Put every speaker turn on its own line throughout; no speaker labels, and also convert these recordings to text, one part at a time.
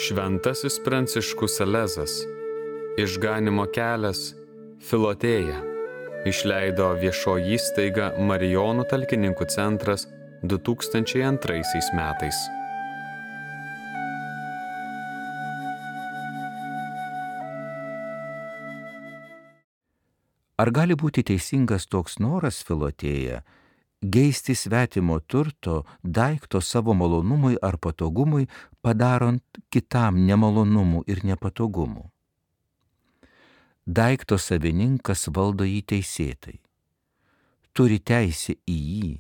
Šventasis Pranciškus Salezas, Išganymo kelias, Filotėja, išleido viešoji įstaiga Marijonų talkininkų centras 2002 metais.
Ar gali būti teisingas toks noras, Filotėja, geisti svetimo turto, daikto savo malonumui ar patogumui, padarant kitam nemalonumų ir nepatogumų? Daikto savininkas valdo jį teisėtai, turi teisę į jį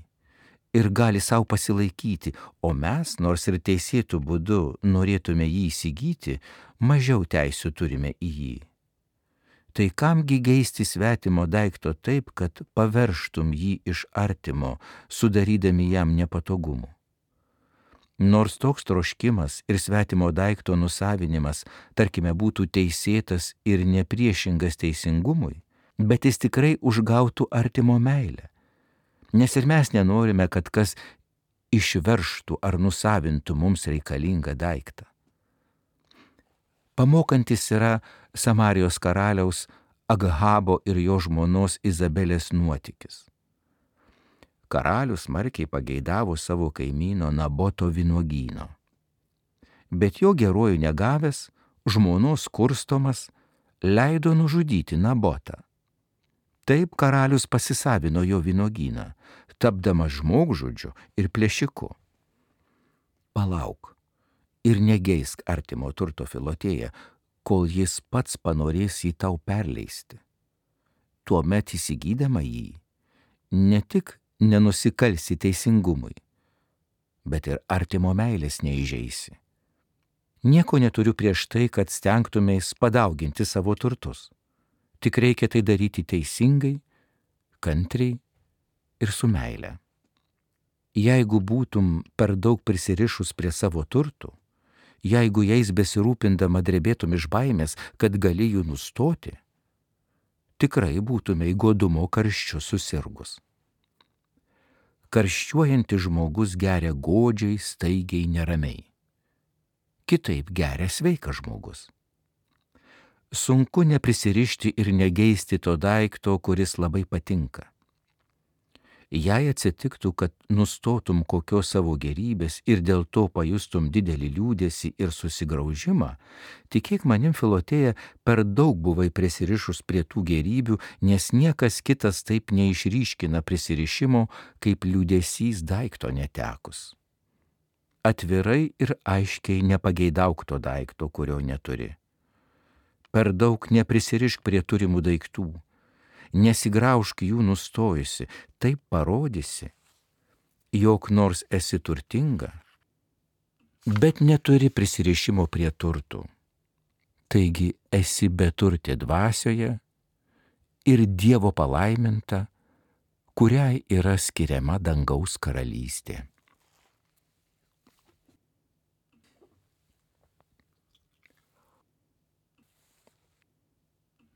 ir gali savo pasilaikyti, o mes, nors ir teisėtų būdu norėtume jį įsigyti, mažiau teisių turime į jį. Tai kamgi geisti svetimo daikto taip, kad paverštum jį iš artimo, sudarydami jam nepatogumų? Nors toks troškimas ir svetimo daikto nusavinimas, tarkime, būtų teisėtas ir nepriešingas teisingumui, bet jis tikrai užgautų artimo meilę. Nes ir mes nenorime, kad kas išverštų ar nusavintų mums reikalingą daiktą. Pamokantis yra Samarijos karaliaus Agahabo ir jo žmonos Izabelės nuotykis. Karalius smarkiai pageidavo savo kaimyno Naboto vynuogyno. Bet jo geruoju negavęs, žmonos kurstomas, leido nužudyti Nabotą. Taip karalius pasisavino jo vynuogyną, tapdamas žmogžudžiu ir plėšiku. Palauk ir negeisk artimo turto, Filotėja, kol jis pats panorės jį tau perleisti. Tuomet įsigydama jį, ne tik nenusikalsi teisingumui, bet ir artimo meilės neįžeisi. Nieko neturiu prieš tai, kad stengtumės padauginti savo turtus. Tik reikia tai daryti teisingai, kantriai ir su meile. Jeigu būtum per daug prisirišus prie savo turtų, jeigu jais besirūpindama drebėtum iš baimės, kad gali jų nustoti, tikrai būtumei godumo karščiu susirgus. Karščiuojantis žmogus geria godžiai, staigiai, neramiai. Kitaip geria sveikas žmogus. Sunku neprisirišti ir negeisti to daikto, kuris labai patinka. Jei atsitiktų, kad nustotum kokios savo gerybės ir dėl to pajustum didelį liūdesį ir susigraužimą, tikėk manim, Filotėja, per daug buvai prisirišus prie tų gerybių, nes niekas kitas taip neišryškina prisirišimo, kaip liūdesys daikto netekus. Atvirai ir aiškiai nepageidauk to daikto, kurio neturi. Per daug neprisirišk prie turimų daiktų. Nesigraužk jų nustojusi, taip parodysi, jog nors esi turtinga, bet neturi prisirišimo prie turtų. Taigi esi beturtė dvasioje ir Dievo palaiminta, kuriai yra skiriama dangaus karalystė.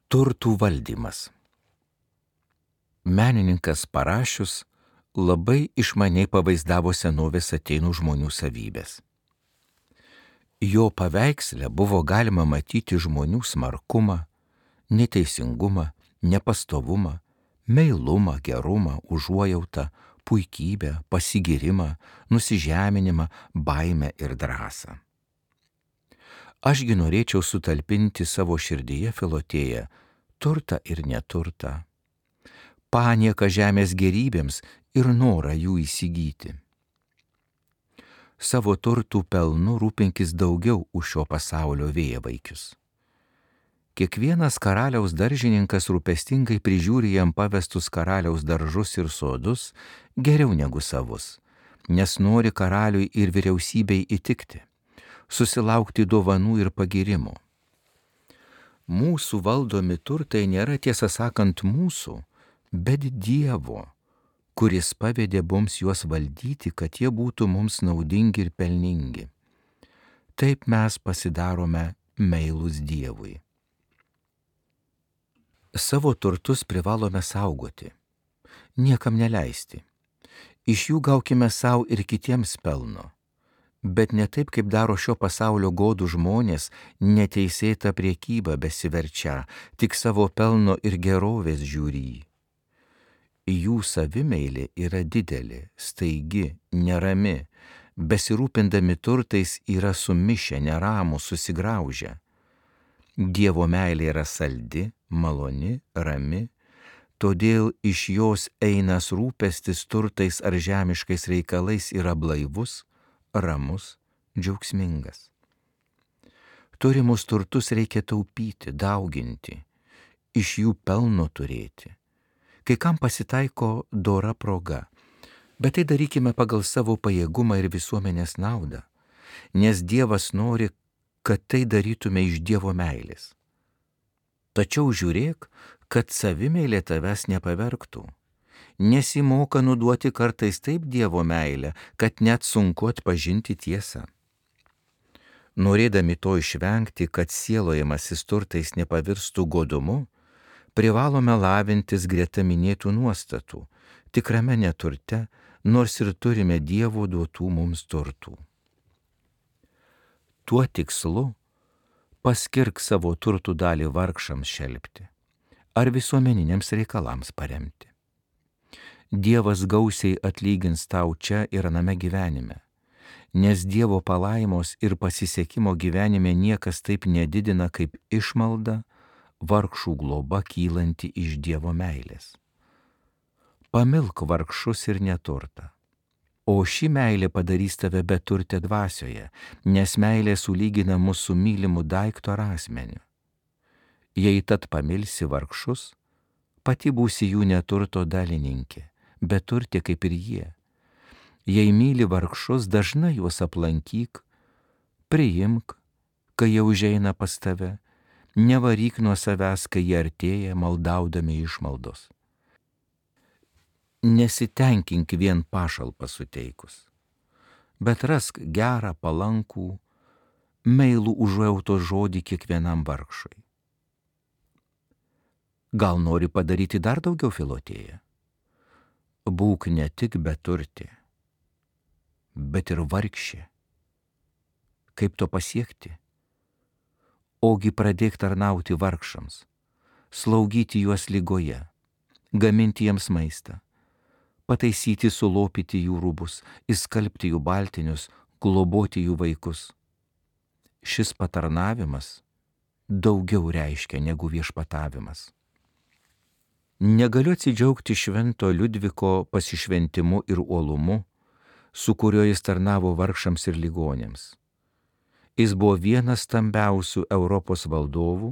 Turtų valdymas. Menininkas Parašius labai išmaniai pavaizdavo senovės Atėnų žmonių savybės. Jo paveiksle buvo galima matyti žmonių smarkumą, neteisingumą, nepastovumą, meilumą, gerumą, užuojautą, puikybę, pasigyrimą, nusižeminimą, baimę ir drąsą. Ašgi norėčiau sutalpinti savo širdyje, Filotėja, turtą ir neturtą, panieką žemės gerybėms ir norą jų įsigyti. Savo turtų pelnu rūpinkis daugiau už šio pasaulio vėjavaikius. Kiekvienas karaliaus daržininkas rūpestingai prižiūri jam pavestus karaliaus daržus ir sodus geriau negu savus, nes nori karaliui ir vyriausybei įtikti, susilaukti dovanų ir pagirimų. Mūsų valdomi turtai nėra, tiesą sakant, mūsų, bet Dievo, kuris pavedė mums juos valdyti, kad jie būtų mums naudingi ir pelningi. Taip mes pasidarome meilūs Dievui. Savo turtus privalome saugoti, niekam neleisti. Iš jų gaukime savo ir kitiems pelno, bet ne taip, kaip daro šio pasaulio godų žmonės, neteisėta priekyba besiverčia, tik savo pelno ir gerovės žiūri. Jų savimeilė yra didelė, staigi, nerami, besirūpindami turtais yra sumišę, neramų, susigraužę. Dievo meilė yra saldi, maloni, rami, todėl iš jos einas rūpestis turtais ar žemiškais reikalais yra blaivus, ramus, džiaugsmingas. Turimus turtus reikia taupyti, dauginti, iš jų pelno turėti. Kai kam pasitaiko dora proga, bet tai darykime pagal savo pajėgumą ir visuomenės naudą, nes Dievas nori, kad tai darytume iš Dievo meilės. Tačiau žiūrėk, kad savimeilė tavęs nepavergtų. Nesimoka nuduoti kartais taip Dievo meilę, kad net sunku atpažinti tiesą. Norėdami to išvengti, kad sielojamasis turtais nepavirstų godumu, privalome lavintis greta minėtų nuostatų, tikrame neturte, nors ir turime Dievo duotų mums turtų. Tuo tikslu paskirk savo turtų dalį vargšams šelpti ar visuomeniniams reikalams paremti. Dievas gausiai atlygins tau čia ir aname gyvenime, nes Dievo palaimos ir pasisekimo gyvenime niekas taip nedidina kaip išmalda, vargšų globa kylanti iš Dievo meilės. Pamilk vargšus ir neturtą, o ši meilė padarys tave beturtę dvasioje, nes meilė sulygina mūsų mylimų daikto ar asmeniu. Jei tad pamilsi vargšus, pati būsi jų neturto dalininkė, beturtė kaip ir jie. Jei myli vargšus, dažnai juos aplankyk, priimk, kai jie užeina pas tave, nevaryk nuo savęs, kai jie artėja maldaudami išmaldos. Nesitenkink vien pašalpą suteikus, bet rask gerą, palankų, meilų užuojautos žodį kiekvienam vargšui. Gal nori padaryti dar daugiau, Filotėja? Būk ne tik beturtė, bet ir vargšė. Kaip to pasiekti? Ogi pradėk tarnauti vargšams, slaugyti juos ligoje, gaminti jiems maistą, pataisyti, sulopyti jų rūbus, įskalbti jų baltinius, globoti jų vaikus. Šis patarnavimas daugiau reiškia negu viešpatavimas. Negaliu atsidžiaugti švento Liudviko pasišventimu ir uolumu, su kuriuo jis tarnavo vargšams ir ligonėms. Jis buvo vienas stambiausių Europos valdovų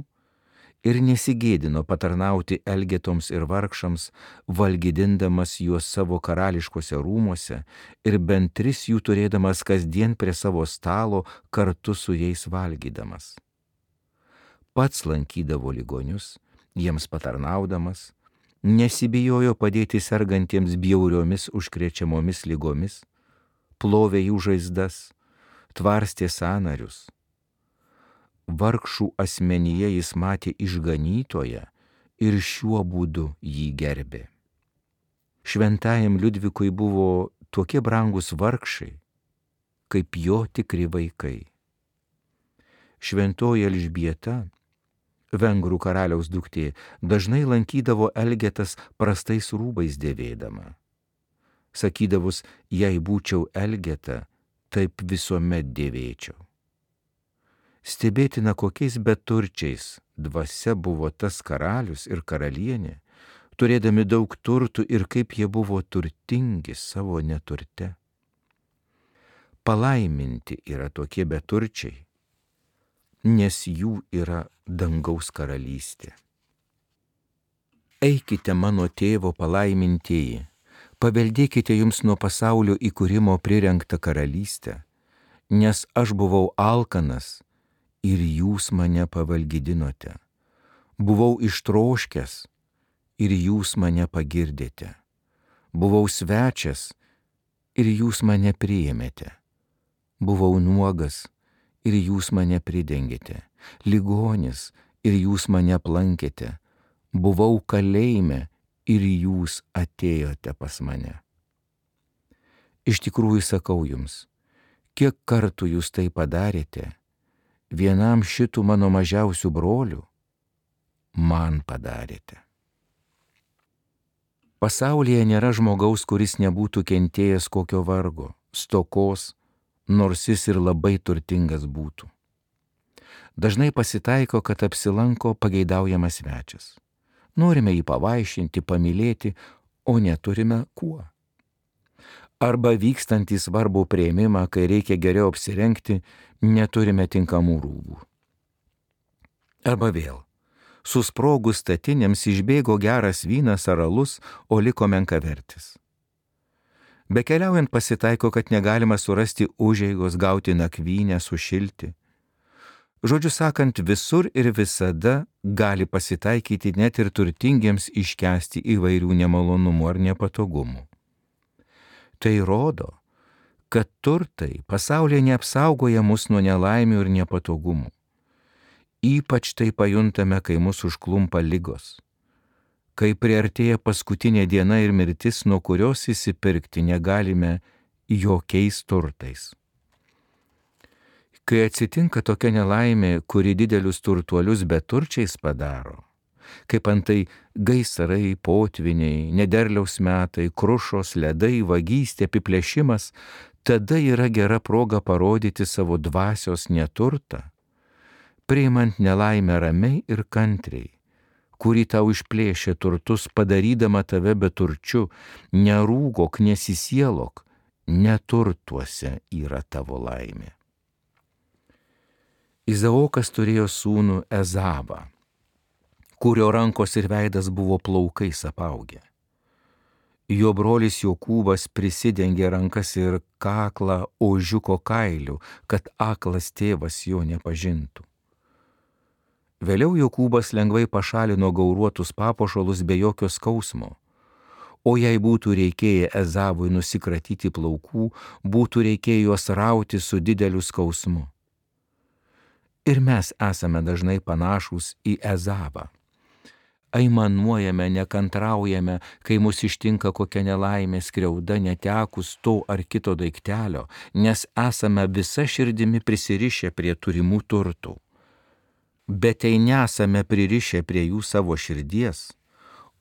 ir nesigėdino patarnauti elgetoms ir vargšams, valgydindamas juos savo karališkose rūmuose ir bent 3 jų turėdamas kasdien prie savo stalo kartu su jais valgydamas. Pats lankydavo ligonius, jiems patarnaudamas, nesibijojo padėti sergantiems bjauriomis užkrečiamomis ligomis, plovė jų žaizdas, tvarstė sąnarius. Vargšų asmenyje jis matė išganytoją ir šiuo būdu jį gerbė. Šventajam Liudvikui buvo tokie brangus vargšai, kaip jo tikri vaikai. Šventoji Elžbieta, vengrų karaliaus duktė, dažnai lankydavo Elgetas prastais rūbais dėvėdama. Sakydavus, jei būčiau Elgeta, taip visuomet dėvėčiau. Stebėtina, kokiais beturčiais dvasia buvo tas karalius ir karalienė, turėdami daug turtų ir kaip jie buvo turtingi savo neturte. Palaiminti yra tokie beturčiai, nes jų yra dangaus karalystė. Eikite mano tėvo palaimintieji, paveldėkite jums nuo pasaulio įkūrimo prirengtą karalystę, nes aš buvau alkanas ir jūs mane pavalgydinote. Buvau ištroškęs ir jūs mane pagirdėte. Buvau svečias ir jūs mane priėmėte. Buvau nuogas ir jūs mane pridengėte. Ligonis ir jūs mane aplankėte. Buvau kalėjime ir jūs atėjote pas mane. Iš tikrųjų sakau jums, Kiek kartų jūs tai padarėte, vienam šitų mano mažiausių brolių, man padarėte. Pasaulyje nėra žmogaus, kuris nebūtų kentėjęs kokio vargo, stokos, nors jis ir labai turtingas būtų. Dažnai pasitaiko, kad apsilanko pageidaujamas svečias. Norime jį pavaišinti, pamylėti, o neturime kuo. Arba vykstant į svarbų priėmimą, kai reikia geriau apsirengti, neturime tinkamų rūbų. Arba vėl, susprogus statinėms išbėgo geras vynas ar alus, o liko menkavertis. Bekeliaujant pasitaiko, kad negalima surasti užeigos, gauti nakvynę, sušilti. Žodžiu sakant, visur ir visada gali pasitaikyti net ir turtingiems iškęsti įvairių nemalonumų ar nepatogumų. Tai rodo, kad turtai pasaulyje neapsaugoja mus nuo nelaimių ir nepatogumų. Ypač tai pajuntame, kai mus užklumpa ligos, kai priartėja paskutinė diena ir mirtis, nuo kurios įsipirkti negalime jokiais turtais. Kai atsitinka tokia nelaimė, kuri didelius turtuolius beturčiais padaro, kaip antai gaisrai, potviniai, nederliaus metai, krušos, ledai, vagystė, apiplėšimas, tada yra gera proga parodyti savo dvasios neturtą, priimant nelaimę ramiai ir kantriai, kuri tau išplėšia turtus, padarydama tave beturčiu, nerūgok, nesisielok, neturtuose yra tavo laimė. Izaokas turėjo sūnų Ezavą, kurio rankos ir veidas buvo plaukais apaugę. Jo brolis Jokūbas prisidengė rankas ir kaklą ožiuko kailiu, kad aklas tėvas jo nepažintų. Vėliau Jokūbas lengvai pašalino gauruotus papuošalus be jokio skausmo, o jei būtų reikėję Ezavui nusikratyti plaukų, būtų reikėję juos rauti su dideliu skausmu. Ir mes esame dažnai panašūs į Ezavą. Aimanuojame, nekantraujame, kai mus ištinka kokia nelaimė, skriauda, netekus to ar kito daiktelio, nes esame visa širdimi prisirišę prie turimų turtų. Bet tai nesame pririšę prie jų savo širdies,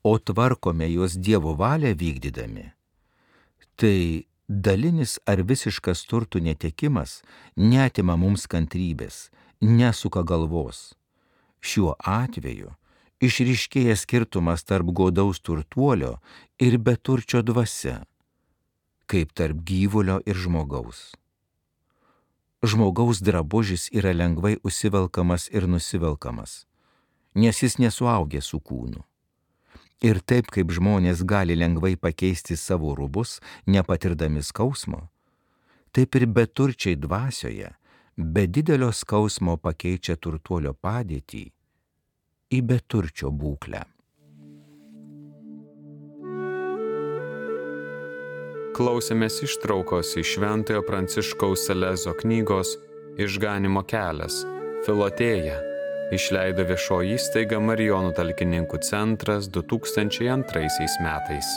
o tvarkome juos Dievo valią vykdydami. Tai dalinis ar visiškas turtų netekimas neatima mums kantrybės, nesuka galvos. Šiuo atveju išryškėja skirtumas tarp godaus turtuolio ir beturčio dvasia, kaip tarp gyvulio ir žmogaus. Žmogaus drabužis yra lengvai užsivelkamas ir nusivelkamas, nes jis nesuaugė su kūnu. Ir taip kaip žmonės gali lengvai pakeisti savo rūbus, nepatirdami skausmo, taip ir beturčiai dvasioje be didelio skausmo pakeičia turtuolio padėtį į beturčio būklę.
Klausėmės ištraukos iš Šventojo Pranciškaus Salezo knygos Išganymo kelias, Filotėja, išleido viešoji įstaiga Marijonų talkininkų centras 2002 metais.